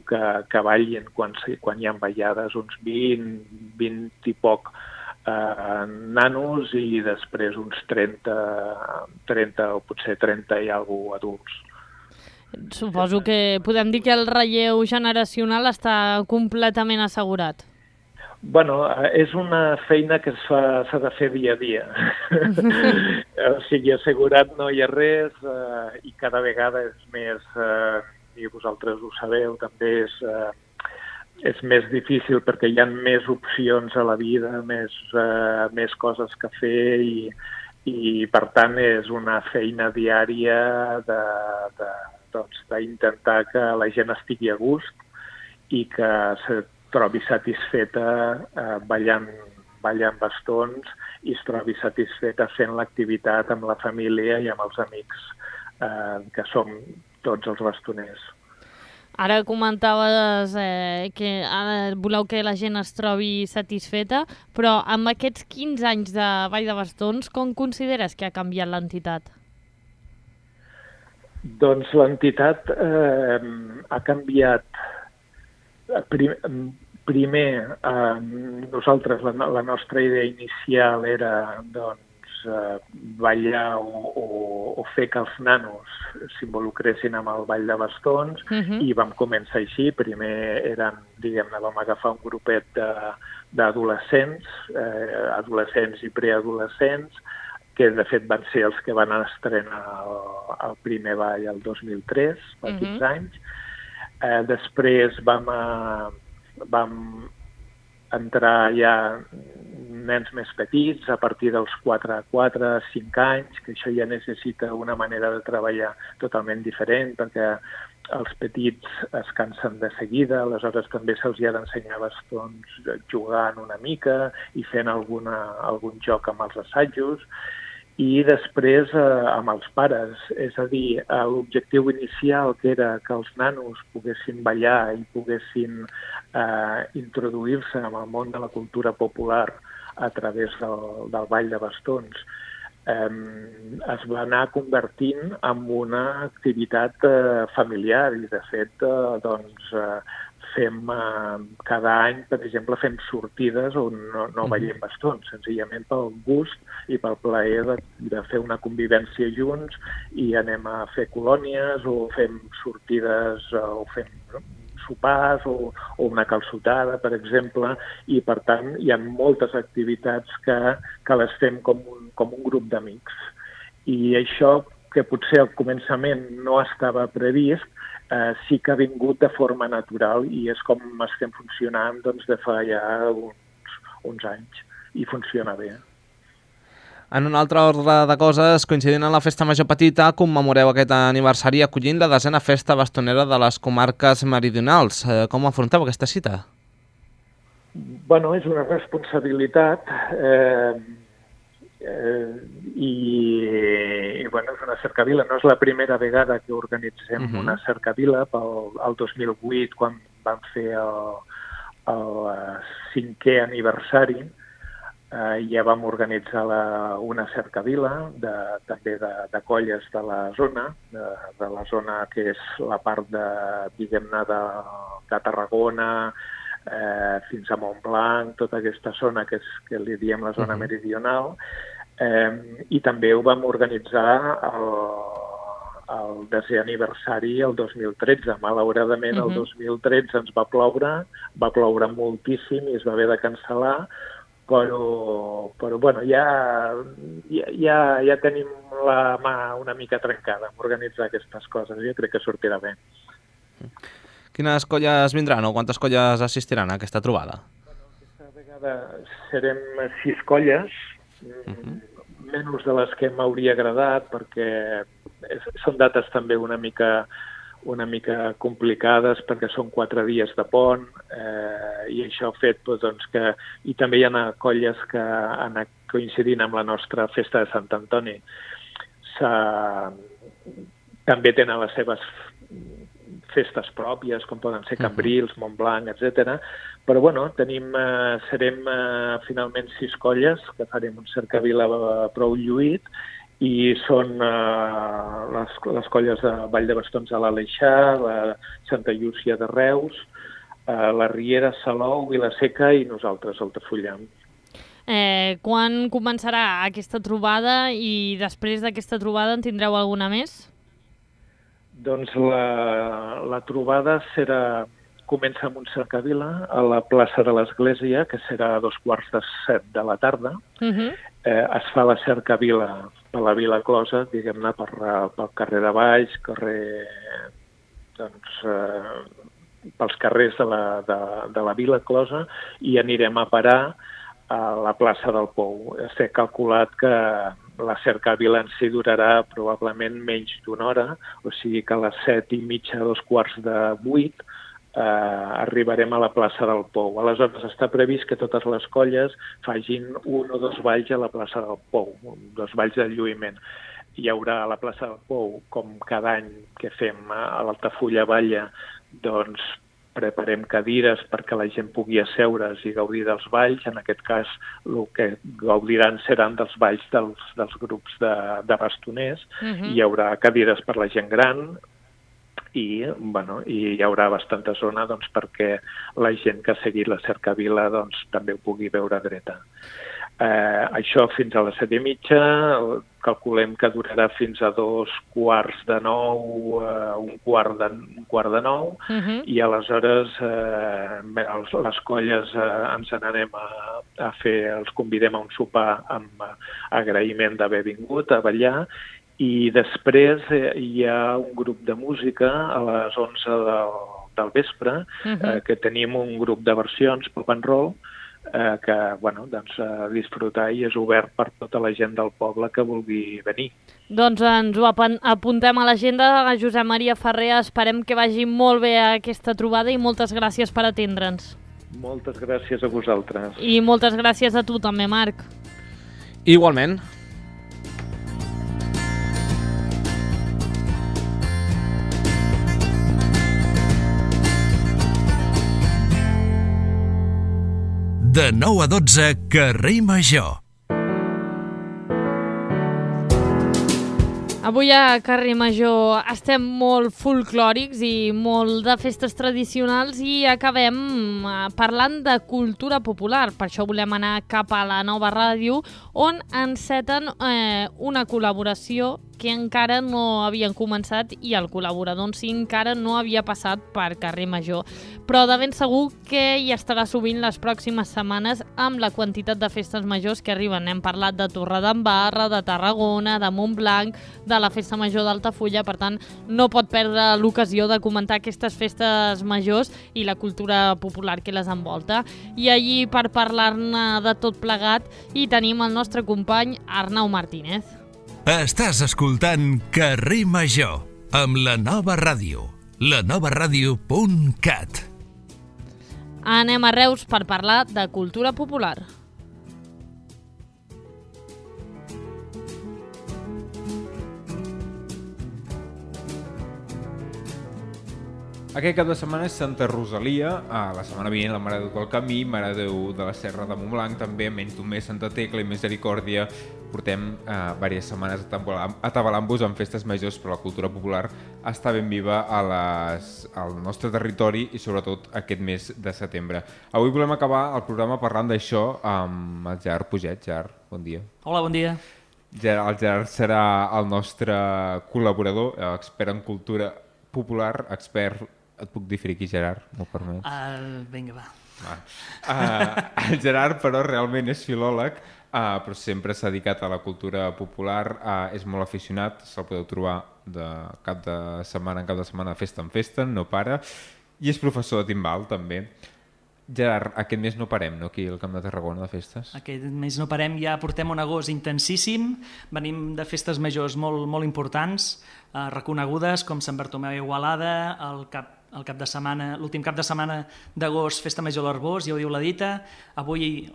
que ballin quan hi ha ballades, uns 20 i poc nanos i després uns 30 o potser 30 i alguna adults. Suposo que podem dir que el relleu generacional està completament assegurat. Bueno, és una feina que s'ha de fer dia a dia. O sigui, assegurat no hi ha res i cada vegada és més, i vosaltres ho sabeu, també és més difícil perquè hi ha més opcions a la vida, més coses que fer i per tant és una feina diària d'intentar que la gent estigui a gust i que se trobi satisfeta ballant bastons i es trobi satisfeta fent l'activitat amb la família i amb els amics que som tots els bastoners. Ara comentaves que ara voleu que la gent es trobi satisfeta, però amb aquests 15 anys de Ball de Bastons, com consideres que ha canviat l'entitat? Doncs l'entitat ha canviat. Primer, nosaltres, la nostra idea inicial era ballar o fer que els nanos s'involucressin amb el ball de bastons i vam començar així. Primer vam agafar un grupet d'adolescents, adolescents i preadolescents, que de fet van ser els que van estrenar el primer ball el 2003, fa 15 anys. Després vam entrar ja nens més petits, a partir dels 4 a 5 anys, que això ja necessita una manera de treballar totalment diferent, perquè els petits es cansen de seguida, aleshores també se'ls ha d'ensenyar bastons jugant una mica i fent algun joc amb els assajos. I després amb els pares, és a dir, l'objectiu inicial que era que els nanos poguessin ballar i poguessin introduir-se en el món de la cultura popular a través del ball de bastons, es va anar convertint en una activitat familiar i de fet fem cada any, per exemple, fem sortides on no ballem bastons, senzillament pel gust i pel plaer de fer una convivència junts i anem a fer colònies o fem sortides o fem sopars o una calçotada, per exemple, i per tant hi ha moltes activitats que les fem com un grup d'amics. I això, que potser al començament no estava previst, sí que ha vingut de forma natural i és com estem funcionant de fa ja uns anys i funciona bé. En un altre ordre de coses, coincidint en la Festa Major Petita, commemoreu aquest aniversari acollint la 10a Festa Bastonera de les comarques meridionals. Com afronteu aquesta cita? Bueno, és una responsabilitat i bueno, és una cercavila. No és la primera vegada que organitzem una cercavila. El 2008, quan vam fer el 5è aniversari, ja vam organitzar una cercavila també de colles de la zona que és la part diguem-ne de Tarragona fins a Montblanc, tota aquesta zona que li diem la zona meridional, i també ho vam organitzar el 10è aniversari el 2013. Malauradament el 2013 ens va ploure moltíssim i es va haver de cancel·lar, però bueno, ja tenim la mà una mica trencada en organitzar aquestes coses. Jo crec que sortirà bé. Quines colles vindran o quantes colles assistiran a aquesta trobada? Aquesta vegada serem 6 colles, menys de les que m'hauria agradat, perquè són dates també una mica una mica complicades perquè són 4 dies de pont i això ha fet doncs, que... I també hi ha colles que han coincidint amb la nostra festa de Sant Antoni. També tenen les seves festes pròpies, com poden ser Cambrils, Montblanc, etc. Però bueno, serem finalment 6 colles, que farem un cercavila prou lluït, i són les colles de Vall de Bastons a l'Aleixar, la Santa Llúcia de Reus, la Riera, Salou, Vila-seca i nosaltres, Altafulla. Quan començarà aquesta trobada i després d'aquesta trobada en tindreu alguna més? Doncs la trobada comença amb un cercavila a la plaça de l'Església, que serà a 2:45 de la tarda. Es fa la cercavila per la Vila Closa, diguem-ne, pel carrer de Valls, pels carrers de la Vila Closa, i anirem a parar a la plaça del Pou. S'ha calculat que la cercavila en si durarà probablement menys d'1 hora, o sigui que a les 7:30, 7:45, arribarem a la plaça del Pou. Aleshores està previst que totes les colles facin 1 o 2 balls a la plaça del Pou, 2 balls de lluïment. Hi haurà a la plaça del Pou, com cada any que fem a l'Altafulla Balla, doncs preparem cadires perquè la gent pugui asseure's i gaudir dels balls. En aquest cas, el que gaudiran seran dels balls dels grups de bastoners. Hi haurà cadires per la gent gran i hi haurà bastanta zona perquè la gent que ha seguit la cercavila també ho pugui veure dreta. Això fins a les 7:30, calculem que durarà fins a 8:45, un quart de 9, i aleshores les colles ens n'anem a fer, els convidem a un sopar amb agraïment d'haver vingut a ballar, i després hi ha un grup de música a les 11 del vespre, que tenim un grup de versions, pop and roll, que disfrutar i és obert per tota la gent del poble que vulgui venir. Doncs ens ho apuntem a l'agenda. Josep Maria Ferrer, esperem que vagi molt bé aquesta trobada i moltes gràcies per atendre'ns. Moltes gràcies a vosaltres. I moltes gràcies a tu també, Marc. Igualment. De 9 a 12, Carrer Major. Avui a Carrer Major estem molt folclòrics i molt de festes tradicionals i acabem parlant de cultura popular. Per això volem anar cap a la Nova Ràdio, on enceten una col·laboració que encara no havien començat i el col·laborador en si encara no havia passat per Carrer Major. Però de ben segur que hi estarà sovint les pròximes setmanes amb la quantitat de festes majors que arriben. Hem parlat de Torredembarra, de Tarragona, de Montblanc, de la Festa Major d'Altafulla, per tant no pot perdre l'ocasió de comentar aquestes festes majors i la cultura popular que les envolta. I allí per parlar-ne de tot plegat hi tenim el nostre company Arnau Martínez. Estàs escoltant Carrer Major amb la Nova Ràdio, lanovaradio.cat. Anem a Reus per parlar de cultura popular. Aquest cap de setmana és Santa Rosalia, la setmana vinent la Mare de Déu del Camí, Mare de Déu de la Serra de Montblanc, també menys d'un mes Santa Tecla i Misericòrdia. Portem diverses setmanes atabalant-vos amb festes majors, però la cultura popular està ben viva al nostre territori i sobretot aquest mes de setembre. Avui volem acabar el programa parlant d'això amb el Gerard Puget. Gerard, bon dia. Hola, bon dia. El Gerard serà el nostre col·laborador, expert en cultura popular, expert... Et puc dir friqui, Gerard? M'ho permets? Vinga, va. El Gerard, però, realment és filòleg, però sempre s'ha dedicat a la cultura popular, és molt aficionat, se'l podeu trobar de cap de setmana en cap de setmana, festa en festa, no para, i és professor de timbal, també. Gerard, aquest mes no parem, no? Aquí al Camp de Tarragona de festes. Aquest mes no parem, ja portem un agost intensíssim, venim de festes majors molt importants, reconegudes com Sant Bartomeu i Igualada, l'últim cap de setmana d'agost, Festa Major a l'Arboç, ja ho diu la dita. Avui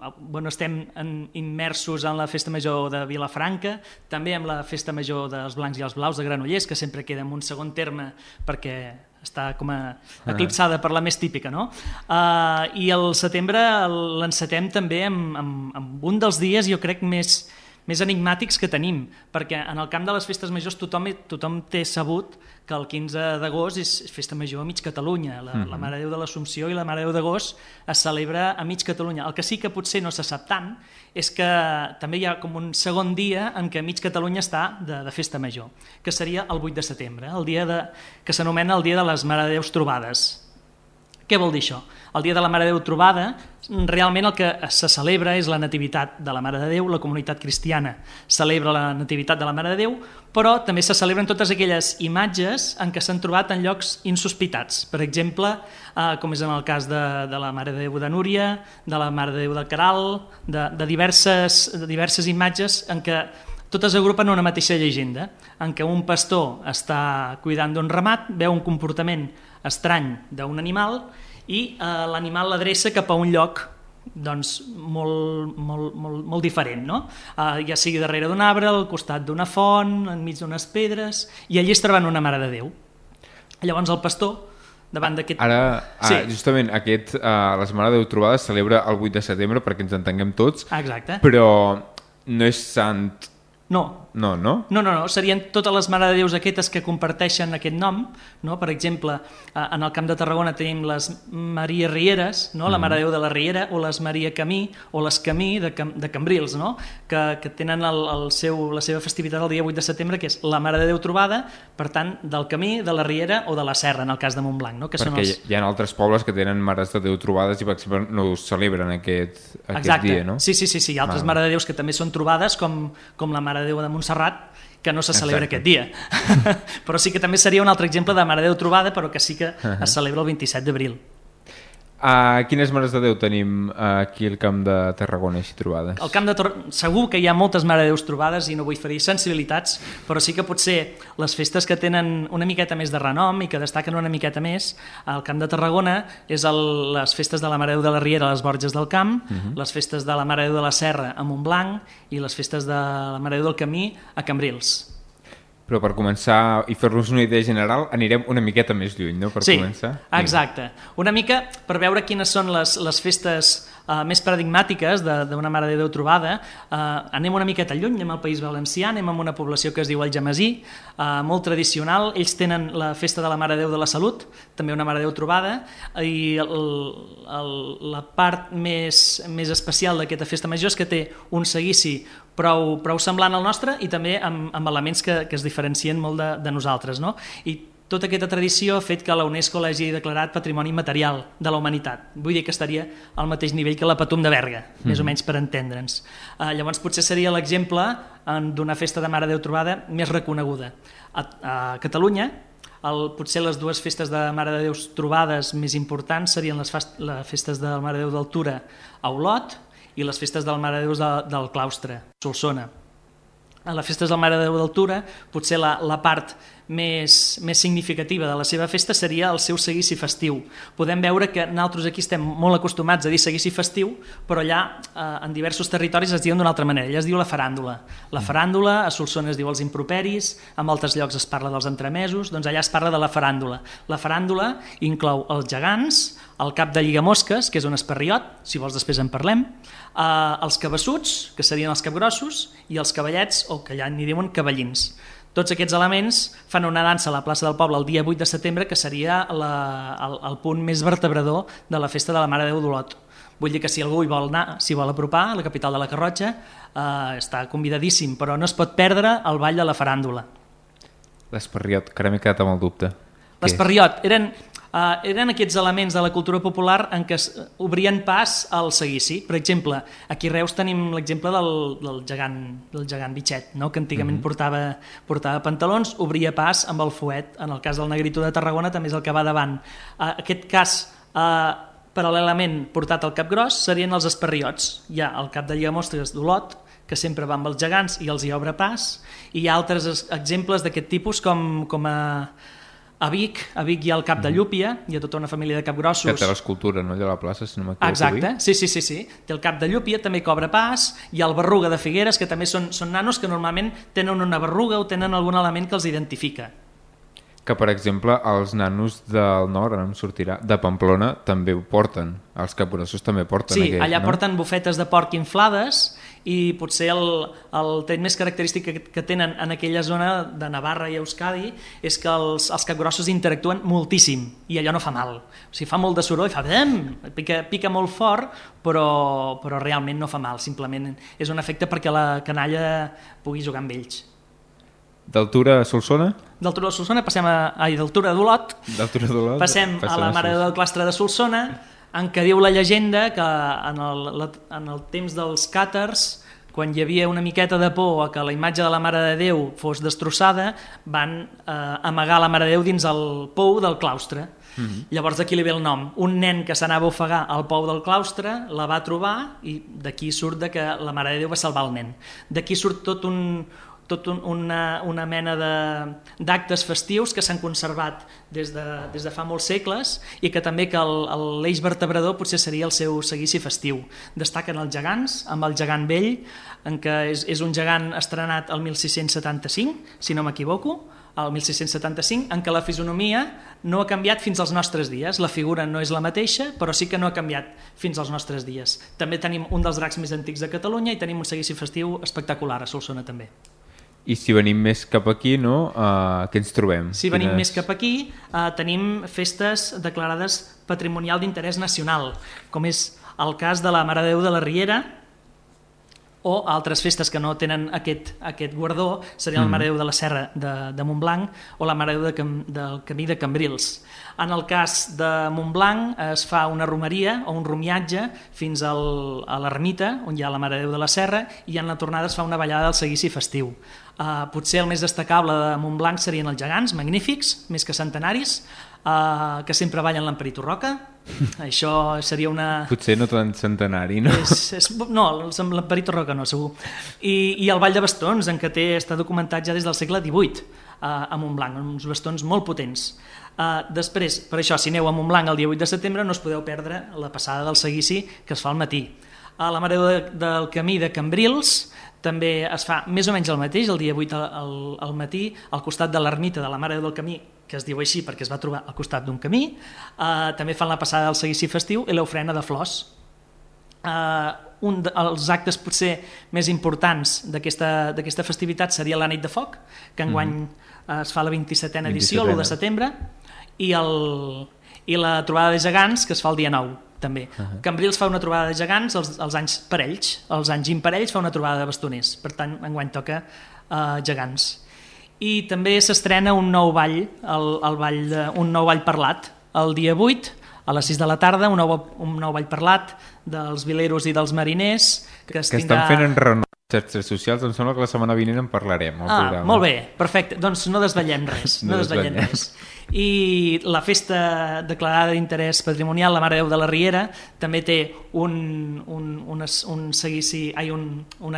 estem immersos en la Festa Major de Vilafranca, també amb la Festa Major dels Blancs i els Blaus de Granollers, que sempre queda en un segon terme perquè està com eclipsada per la més típica, no? I el setembre l'encetem també amb un dels dies, jo crec, més enigmàtics que tenim, perquè en el camp de les festes majors tothom té sabut que el 15 d'agost és festa major a mig Catalunya. La Mare de Déu de l'Assumpció i la Mare de Déu d'agost es celebra a mig Catalunya. El que sí que potser no se sap tant és que també hi ha com un segon dia en què mig Catalunya està de festa major, que seria el 8 de setembre, el dia que s'anomena el Dia de les Mare de Déus Trobades. Què vol dir això? El dia de la Mare de Déu trobada, realment el que se celebra és la nativitat de la Mare de Déu, la comunitat cristiana celebra la nativitat de la Mare de Déu, però també se celebren totes aquelles imatges en què s'han trobat en llocs insospitats. Per exemple, com és en el cas de la Mare de Déu de Núria, de la Mare de Déu de Caral, de diverses imatges en què totes agrupen una mateixa llegenda, en què un pastor està cuidant d'un ramat, veu un comportament estrany d'un animal i l'animal l'adreça cap a un lloc molt diferent, no? Ja sigui darrere d'un arbre, al costat d'una font, enmig d'unes pedres, i allí es troben una Mare de Déu. Llavors el pastor, davant d'aquest... Justament les Mare de Déu trobades celebra el 8 de setembre perquè ens entenguem tots. Exacte. Però no és sant... No, serien totes les Mare de Déus aquestes que comparteixen aquest nom, no? Per exemple, en el Camp de Tarragona tenim les Maria Rieres, no? La Mare de Déu de la Riera, o les Maria Camí, o les Camí de Cambrils, no? que tenen la seva festivitat el dia 8 de setembre, que és la Mare de Déu trobada, per tant, del Camí, de la Riera o de la Serra, en el cas de Montblanc. No? Perquè hi ha altres pobles que tenen Mares de Déu trobades i, per exemple, no ho celebren aquest dia, no? Sí, hi ha altres Mare de Déus que també són trobades, com la Mare de Déu de Montserrat, que no se celebra aquest dia. Però sí que també seria un altre exemple de Mare de Déu trobada, però que sí que es celebra el 27 d'abril. Quines Mares de Déu tenim aquí al Camp de Tarragona així trobades? Al Camp de Tarragona segur que hi ha moltes Mare de Déus trobades i no vull ferir sensibilitats, però sí que potser les festes que tenen una miqueta més de renom i que destaquen una miqueta més al Camp de Tarragona és les festes de la Mare de Déu de la Riera a les Borges del Camp, les festes de la Mare de Déu de la Serra a Montblanc i les festes de la Mare de Déu del Camí a Cambrils. Però per començar i fer-nos una idea general anirem una miqueta més lluny, no? Començar. Exacte. Una mica per veure quines són les festes més paradigmàtiques d'una Mare de Déu trobada. Anem una miqueta lluny, anem al País Valencià, anem a una població que es diu Algemesí, molt tradicional. Ells tenen la festa de la Mare de Déu de la Salut, també una Mare de Déu trobada, i la part més especial d'aquesta festa major és que té un seguici prou semblant al nostre i també amb elements que es diferencien molt de nosaltres, no? I tota aquesta tradició ha fet que la UNESCO l'hagi declarat Patrimoni Immaterial de la Humanitat. Vull dir que estaria al mateix nivell que la Patum de Berga, més o menys per entendre'ns. Llavors potser seria l'exemple d'una festa de Mare de Déu trobada més reconeguda. A Catalunya, potser les dues festes de Mare de Déus trobades més importants serien les festes de la Mare de Déu d'Altura a Olot i les festes de la Mare de Déu del Claustre, Solsona. A les festes de la Mare de Déu d'Altura, potser la part més significativa de la seva festa seria el seu seguici festiu. Podem veure que nosaltres aquí estem molt acostumats a dir seguici festiu, però allà en diversos territoris es diuen d'una altra manera. Allà es diu la faràndula. La faràndula, a Solsona es diu els improperis, en altres llocs es parla dels entremesos, doncs allà es parla de la faràndula. La faràndula inclou els gegants, el cap de lligamosques, que és un esparriot, si vols després en parlem, els cabassuts, que serien els capgrossos, i els cavallets, o que allà n'hi diuen cavallins. Tots aquests elements fan una dansa a la plaça del Poble el dia 8 de setembre, que seria el punt més vertebrador de la festa de la Mare de Déu d'Olot. Vull dir que si algú hi vol anar, s'hi vol apropar, a la capital de la Garrotxa, està convidadíssim, però no es pot perdre el ball de la faràndula. L'esparriot, que ara m'he quedat amb el dubte. L'esparriot, eren aquests elements de la cultura popular en què obrien pas al seguici. Per exemple, aquí a Reus tenim l'exemple del gegant Bitxet, no? Que antigament portava pantalons, obria pas amb el fuet. En el cas del Negrito de Tarragona també és el que va davant. Aquest cas Paral·lelament, portat al Capgròs, serien els esparriots. Hi ha el cap de Llamostres d'Olot, que sempre va amb els gegants i els hi obre pas, i hi ha altres exemples d'aquest tipus com a Vic hi ha el cap de Llúpia, hi ha tota una família de capgrossos. Que té l'escultura, no?, allà a la plaça, si no m'equivoco. Exacte, sí. Té el cap de Llúpia, també cobra pas, hi ha el Berruga de Figueres, que també són nanos que normalment tenen una berruga o tenen algun element que els identifica. Que, per exemple, els nanos del nord, ara em sortirà, de Pamplona, també ho porten. Els capgrossos també porten aquest, allà no? Porten bufetes de porc inflades i potser el tret més característic que tenen en aquella zona de Navarra i Euskadi és que els capgrossos interactuen moltíssim i allò no fa mal. O sigui, fa molt de soroll, pica molt fort, però realment no fa mal. Simplement és un efecte perquè la canalla pugui jugar amb ells. D'Altura a Solsona? D'Altura a Solsona d'Altura d'Olot. Passem a la Mare del Clastre de Solsona, en què diu la llegenda que en el temps dels càtars, quan hi havia una miqueta de por a que la imatge de la Mare de Déu fos destrossada, van amagar la Mare de Déu dins el pou del claustre. Llavors d'aquí li ve el nom. Un nen que s'anava a ofegar al pou del claustre la va trobar i d'aquí surt que la Mare de Déu va salvar el nen. D'aquí surt tot una mena d'actes festius que s'han conservat des de fa molts segles i que també que l'eix vertebrador potser seria el seu seguici festiu. Destaquen els gegants, amb el gegant vell, en què és un gegant estrenat el 1675, si no m'equivoco, el 1675, en què la fisonomia no ha canviat fins als nostres dies. La figura no és la mateixa, però sí que no ha canviat fins als nostres dies. També tenim un dels dracs més antics de Catalunya i tenim un seguici festiu espectacular a Solsona també. I si venim més cap aquí, no? Què ens trobem? Si venim més cap aquí, tenim festes declarades patrimonial d'interès nacional, com és el cas de la Mare de Déu de la Riera, o altres festes que no tenen aquest guardó, seria la Mare de Déu de la Serra de Montblanc o la Mare de Déu del Camí de Cambrils. En el cas de Montblanc es fa una romeria o un romiatge fins a l'ermita, on hi ha la Mare de Déu de la Serra, i en la tornada es fa una ballada del seguici festiu. Potser el més destacable de Montblanc serien els gegants, magnífics, més que centenaris, que sempre ballen l'Emperit Roca. Això seria una... Potser no tant centenari, no? No, l'Emperit Roca no, segur. I el Ball de Bastons, en què està documentat ja des del segle XVIII a Montblanc, uns bastons molt potents. Després, per això, si aneu a Montblanc el dia 8 de setembre no us podeu perdre la passada del seguici que es fa al matí. A la Mare del Camí de Cambrils també es fa més o menys el mateix, el dia 8 al matí, al costat de l'ermita de la Mare del Camí, que es diu així perquè es va trobar al costat d'un camí. També fan la passada del seguici festiu i l'ofrena de flors. Un dels actes potser més importants d'aquesta festivitat seria la Nit de Foc, que enguany es fa la 27a edició, l'1 de setembre, i la trobada de gegants, que es fa el dia 9, també. Cambrils fa una trobada de gegants els anys parells, els anys imparells fa una trobada de bastoners, per tant, enguany toca gegants. I també s'estrena un nou ball, un nou ball parlat, el dia 8, a les 6 de la tarda, un nou ball parlat dels vileros i dels mariners. Que estan fent enrenou les xarxes socials, em sembla que la setmana vinent en parlarem. Molt bé, perfecte, doncs no desvetllem res. I la festa declarada d'interès patrimonial, la Mare de Déu de la Riera, també té una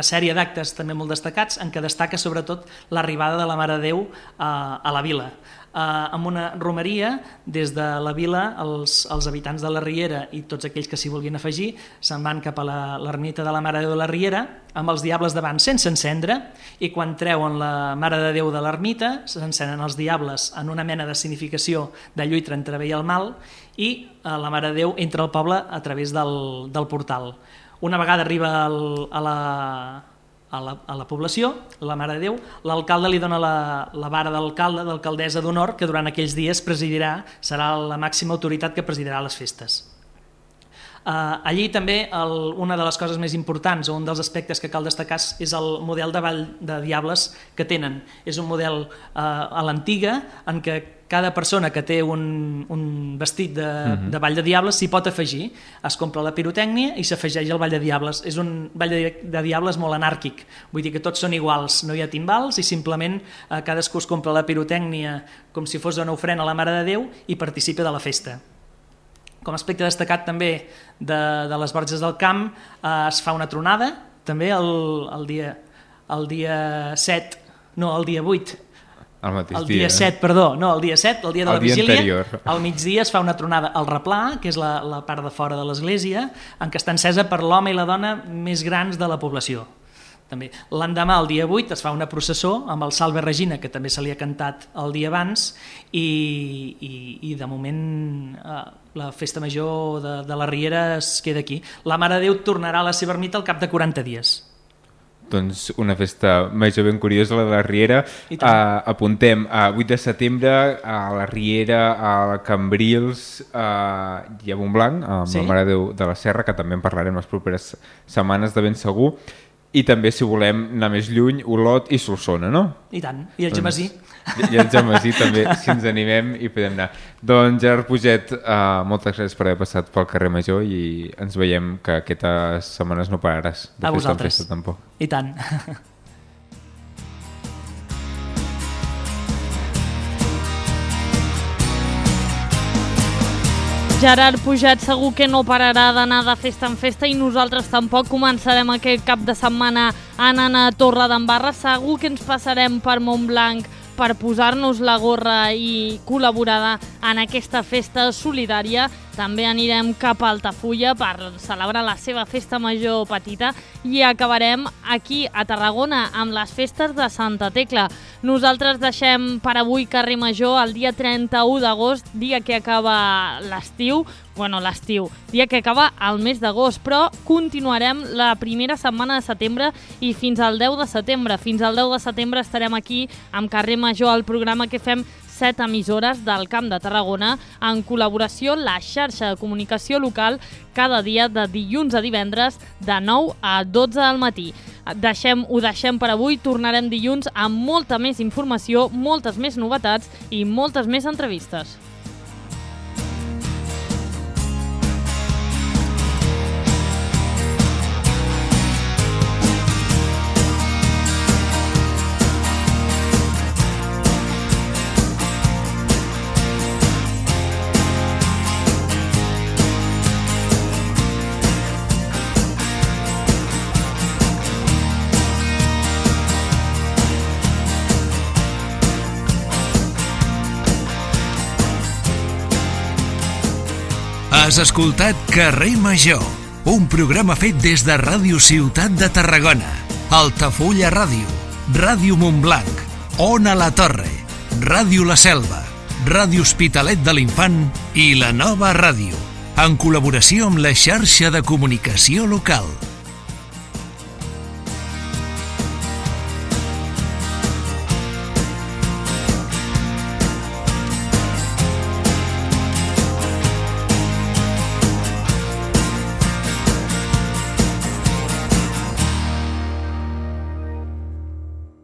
sèrie d'actes també molt destacats en què destaca sobretot l'arribada de la Mare de Déu a la vila. Amb una romeria, des de la vila els habitants de la Riera i tots aquells que s'hi vulguin afegir se'n van cap a l'ermita de la Mare de Déu de la Riera amb els diables davant sense encendre, i quan treuen la Mare de Déu de l'ermita s'encenen els diables en una mena de significació de lluita entre bé i el mal, i la Mare de Déu entra al poble a través del portal. Una vegada arriba a la població, la Mare de Déu, l'alcalde li dona la vara d'alcalde, d'alcaldessa d'honor, que durant aquells dies serà la màxima autoritat que presidirà les festes. Allí també una de les coses més importants, o un dels aspectes que cal destacar, és el model de ball de diables que tenen. És un model a l'antiga, en què cada persona que té un vestit de ball de diables s'hi pot afegir. Es compra la pirotècnia i s'afegeix el ball de diables. És un ball de diables molt anàrquic, vull dir que tots són iguals, no hi ha timbals i simplement cadascú es compra la pirotècnia com si fos una ofrena a la Mare de Déu i participa de la festa. Com a aspecte destacat també de les Borges del Camp, es fa una tronada, també el dia 7, no, el dia 8, el dia 7, perdó, no, el dia 7, el dia de la vigília, al migdia es fa una tronada al replà, que és la part de fora de l'església, en què està encesa per l'home i la dona més grans de la població. També. L'endemà, el dia 8, es fa una processó amb el Salve Regina, que també se li ha cantat el dia abans, i de moment la festa major de la Riera es queda aquí. La Mare de Déu tornarà a la seva ermita al cap de 40 dies. Doncs una festa major ben curiosa, la de la Riera. Apuntem a 8 de setembre a la Riera, a Cambrils i a Montblanc, amb la Mare de Déu de la Serra, que també en parlarem les properes setmanes de ben segur. I també, si volem anar més lluny, Olot i Solsona, no? I tant, i el Gemesí. I el Gemesí també, si ens animem i podem anar. Doncs Gerard Puget, moltes gràcies per haver passat pel carrer Major i ens veiem que aquestes setmanes no pararàs de festa en festa tampoc. I tant. Gerard Puget segur que no pararà d'anar de festa en festa i nosaltres tampoc. Començarem aquest cap de setmana anant a Torredembarra. Segur que ens passarem per Montblanc per posar-nos la gorra i col·laborar en aquesta festa solidària. També anirem cap a Altafulla per celebrar la seva festa major petita i acabarem aquí a Tarragona amb les festes de Santa Tecla. Nosaltres deixem per avui Carrer Major el dia 31 d'agost, dia que acaba l'estiu, dia que acaba el mes d'agost, però continuarem la primera setmana de setembre i fins al 10 de setembre. Fins al 10 de setembre estarem aquí amb Carrer Major, el programa que fem 7 emissores del Camp de Tarragona en col·laboració la xarxa de comunicació local cada dia de dilluns a divendres de 9 a 12 del matí. Ho deixem per avui, tornarem dilluns amb molta més informació, moltes més novetats i moltes més entrevistes. Has escoltat Carrer Major, un programa fet des de Ràdio Ciutat de Tarragona, Altafulla Ràdio, Ràdio Montblanc, Ona la Torre, Ràdio La Selva, Ràdio Hospitalet de l'Infant i La Nova Ràdio, en col·laboració amb la xarxa de comunicació local.